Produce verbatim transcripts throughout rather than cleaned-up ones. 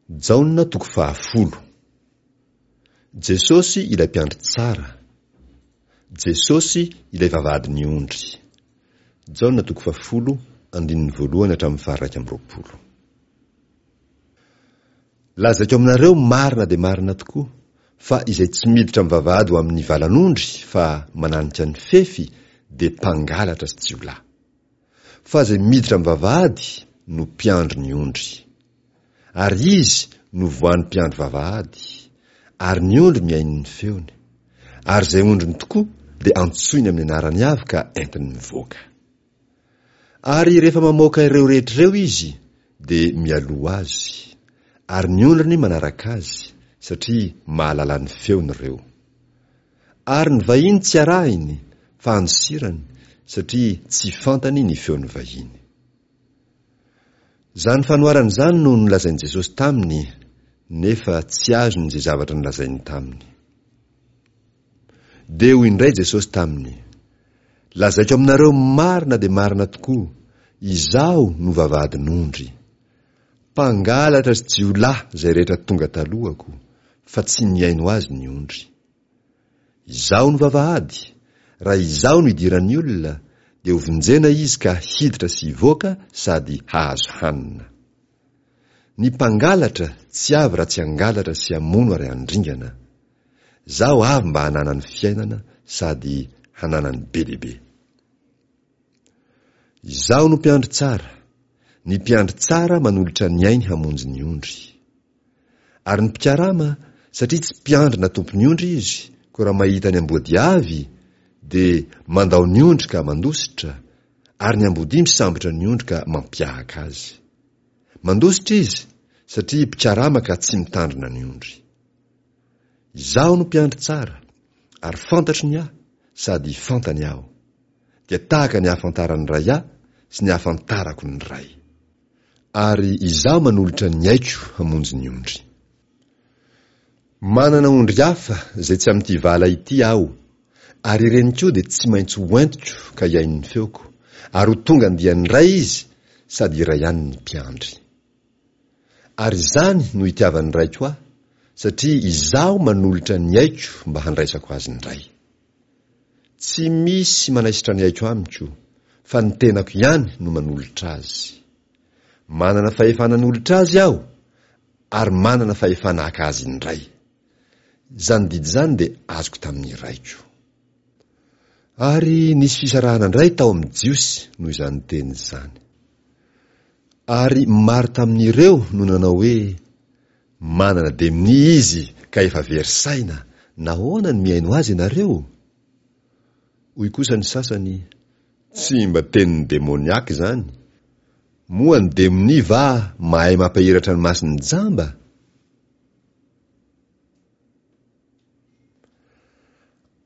Jaona toko fahafolo. Jesosy ilay mpiandry tsara. Jesosy ilay vavahadin'ny ondry. Jaona toko fahafolo, andininy voalohany hatramin'ny faharaika amby roapolo. Lazaiko aminareo marina dia marina tokoa fa izay tsy miditra amin'ny vavahady ho amin'ny valan'ondry fa mananika ny fefy dia mpangalatra sy jiolahy. Fa izay miditra amin'ny vavahady no mpiandry ny ondry. Ary izy no voan'ny mpiandry vavahady, ary ny ondry mihaino ny feony. Ary izay ondriny tokoa dia antsoiny amin'ny anarany avy ka entiny mivoaka. Ary rehefa mamoaka ireo rehetra ireo izy, dia mialoha azy, ary ny ondriny manaraka azy, satria mahalala ny feony ireo. Ary ny vahiny tsy arahiny, fa andosirany, satria tsy fantany ny feon'ny vahiny. Izany fanoharana izany no nolazain'i Jesosy taminy, nefa tsy azony izay zavatra nolazainy taminy. Dia hoy indray Jesosy taminy, Lazaiko aminareo marina dia marina tokoa, Izaho no vavahadin'ondry. Mpangalatra sy jiolahy izay rehetra tonga talohako, fa tsy nihaino azy ny ondry. Izaho no vavahady, raha Izaho no idiran'ny olona, dia hovonjena izy ka hiditra sy hivoaka sady hahazo hanina. Ny mpangalatra tsy avy raha tsy hangalatra sy hamono ary handringana. Zaho avy mba hananany fiainana sady hananany be dia be. Izaho no mpiandry tsara. Ny mpiandry tsara manolotra ny ainy hamonjy ny ondry. Ary ny mpikarama, satria tsy mpiandry na tompon'ny ondry izy, koa raha mahita ny amboadia avy, dia mandao ny ondry ka mandositra, ary ny amboadia misambotra ny ondry ka mampiahaka azy. Mandositra izy, satria mpikarama ka tsy mitandrina ny ondry. Izaho no mpiandry tsara, ary fantatro ny ahy, sady fantany aho. Dia tahaka ny ahafantaran'ny Ray ahy sy ny ahafantarako ny Ray. Ary izaho manolotra ny aiko hamonjy ny ondry. Manana ondry hafa izay tsy amin'ity vala ity aho, ary ireny koa dia tsy maintsy hoentiko ka hihaino ny feoko, ary ho tonga andiany iray izy, sady iray ihany ny mpiandry. Ary izany no itiavan'ny Raiko ahy, satria izaho manolotra ny aiko mba handraisako azy indray. Tsy misy manaisotra ny aiko amiko, fa ny tenako ihany no manolotra azy. Manana fahefana hanolotra azy aho, ary manana fahefana haka azy indray. Izany didy izany dia azoko tamin'ny Raiko. Ary nisy fisarahana indray tao amin'ny Jiosy noho izany teny izany. Ary maro tamin'ireo no nanao hoe, Manana demonia izy ka efa very saina, nahoana no mihaino azy ianareo? Hoy kosa ny sasany, Tsy mba tenin'ny demoniaka izany. Moa ny demonia va mahay mampahiratra ny mason'ny jamba?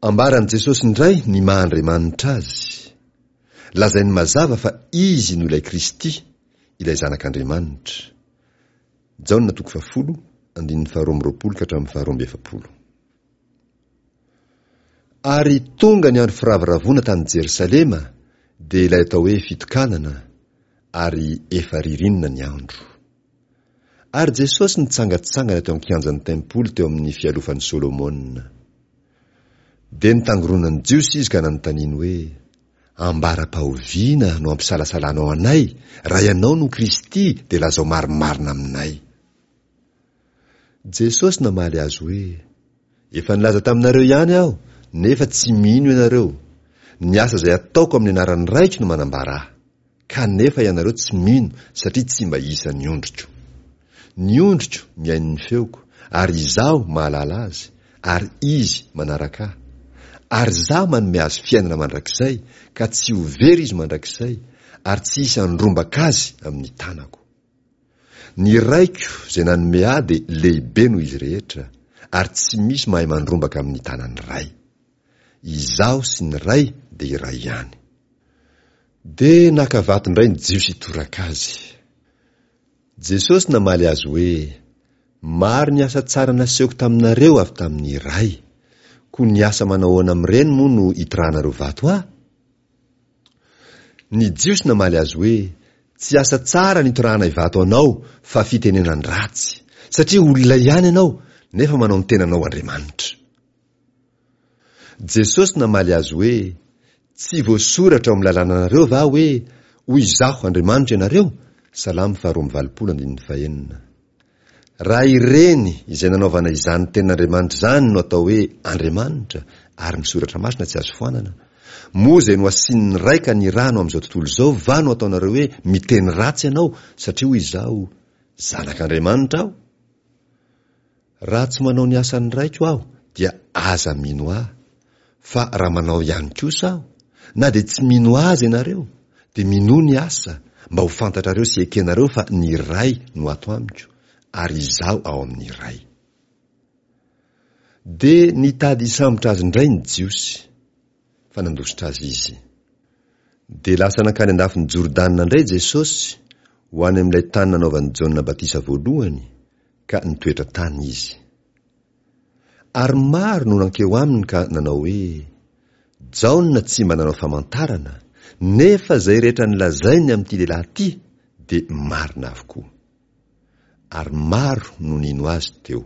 Ambaran'i Jesosy indray ny maha Andriamanitra Azy. Lazainy mazava fa Izy no ilay Kristy, ilay Zanak'Andriamanitra. Jaona toko fahafolo, andininy faharoa amby roapolo ka hatramin'ny faharoa amby efapolo. Ary tonga ny andro firavoravoana tany Jerosalema, dia ilay atao hoe fitokanana, ary efa ririnina ny andro. Ary Jesosy nitsangantsangana teo an-kianjan'ny tempoly teo amin'ny fialofan'i Solomona. Dia nitangoronan'ny Jiosy izy ka nanontaniany hoe, Ambara-pahoviana no ampisalasalanao anay, raha ianao no Kristy dia lazao marimarina aminay. Jesosy namaly azy hoe, Efa nilaza taminareo ihany aho, nefa tsy mino ianareo. Ny asa izay ataoko amin'ny anaran'ny Raiko no manambara ahy. Kanefa ianareo tsy mino satria tsy mba isan'ny ondriko. Ny ondriko mihaino ny feoko, ary Izaho mahalala azy, ary izy manaraka Ahy. Ary Izaho manome azy fiainana mandrakizay, ka tsy ho very izy mandrakizay, ary tsy hisy handrombaka azy amin'ny tanako. Ny Raiko izay nanome Ahy dia lehibe noho izy rehetra, ary tsy misy mahay mandrombaka amin'ny tanan'ny Ray. Izaho sy ny Ray dia iray ihany. Dia naka vato indray ny Jiosy hitoraka azy. Jesosy namaly azy hoe, Maro ny asa tsara nasehoko taminareo avy tamin'ny Ray. Koa ny asa manahoana amin'ireny moa no itorahanareo vato ahy? Ny Jiosy namaly azy hoe, Tsy asa tsara nitorahanay vato anao fa fitenenan-dratsy, Satria olona ihany ianao, nefa manao ny tenanao Andriamanitra. Jesosy namaly azy hoe, Tsy voasoratra ao amin'ny lalànanareo va hoe, Hoy Izaho Andriamanitra ianareo? Salamo faharoa amby valopolo andininy fahenina. Raha ireny izay nanaovana izany tenin'Andriamanitra izany no atao hoe Andriamanitra ary ny Soratra Masina tsy azo foanana, moa izay nohasinin'ny Ray ka nirahany ho amin'izao tontolo izao va no ataonareo hoe miteny ratsy ianao satria hoy Izaho, Zanak'Andriamanitra aho? Raha tsy manao ny asan'ny Raiko aho dia aza mino ahy, fa raha manao ihany kosa aho, na dia tsy mino azy ianareo, dia minoa ny asa, mba ho fantatrareo sy ekenareo fa ny Ray no ato amiko, ary Izaho ao amin'ny Ray. Dia nitady hisambotra azy indray ny Jiosy, fa nandositra azy izy. Dia lasa nankany an-dafin'i Jordana indray Jesosy, ho any amin'ilay tany nanaovan'i Jaona batisa voalohany, ka nitoetra tany izy. Ary maro no nankeo aminy ka nanao hoe, Jaona tsy mba nanao famantarana, nefa izay rehetra nolazainy amin'ity lehilahy ity dia marina avokoa. Ary maro no nino azy teo.